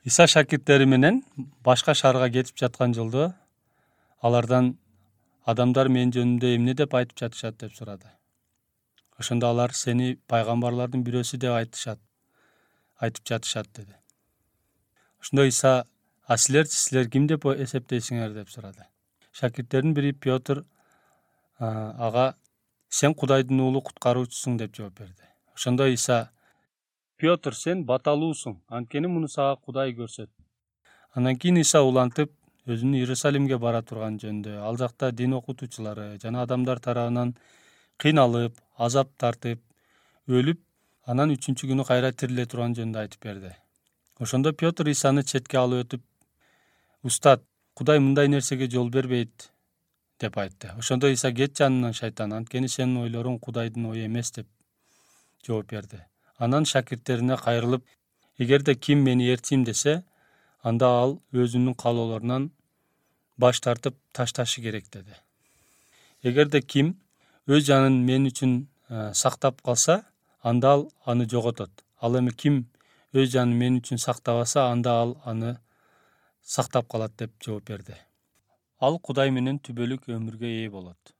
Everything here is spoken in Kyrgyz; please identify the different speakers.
Speaker 1: Иса шакирттери менен башка шаарга кетип жаткан жолдо алардан адамдар менин жөнүмдө эмне деп айтып жатышат деп сурады. Ошондо алар сени пайгамбарлардын бирөөсү деп айтып жатышат деди. Ошондо Иса силер ким деп эсептейсиңер деп сурады. Шакирттердин бири Петр ага сен Кудайдын уулу куткаруучусуң деп жооп берди. Ошондо Иса Петр сен баталуусуң, анткени муну сага Кудай көрсөттү. Андан кийин Иса улантып өзүнүн Иерусалимге бара турган жөнүндө, ал жакта дин окутуучулары жана адамдар тарабынан кыйналып, азап тартып, өлүп, анан 3-күнү күнү кайра тириле турган жөнүндө айтып берди. Ошондо Петр Исаны четке алып өтүп, Устат, Кудай мындай нерсеге жол бербейт деп айтты. Ошондо Иса кет жанымдан шайтан, анткени сенин ойлоруң Кудайдын ою эмес деп жооп берди. Анан шакирттерине кайрылып, эгерде ким мени ээрчийм десе, анда ал өзүнүн каалоолорунан баш тартып ташташы керек деди. Эгерде ким өз жанын мен үчүн сактап калса, анда ал аны жоготот. Ал эми ким өз жанын мен үчүн сактабаса, анда ал аны сактап калат деп жооп берди. Ал Кудай менен түбөлүк өмүргө ээ болот.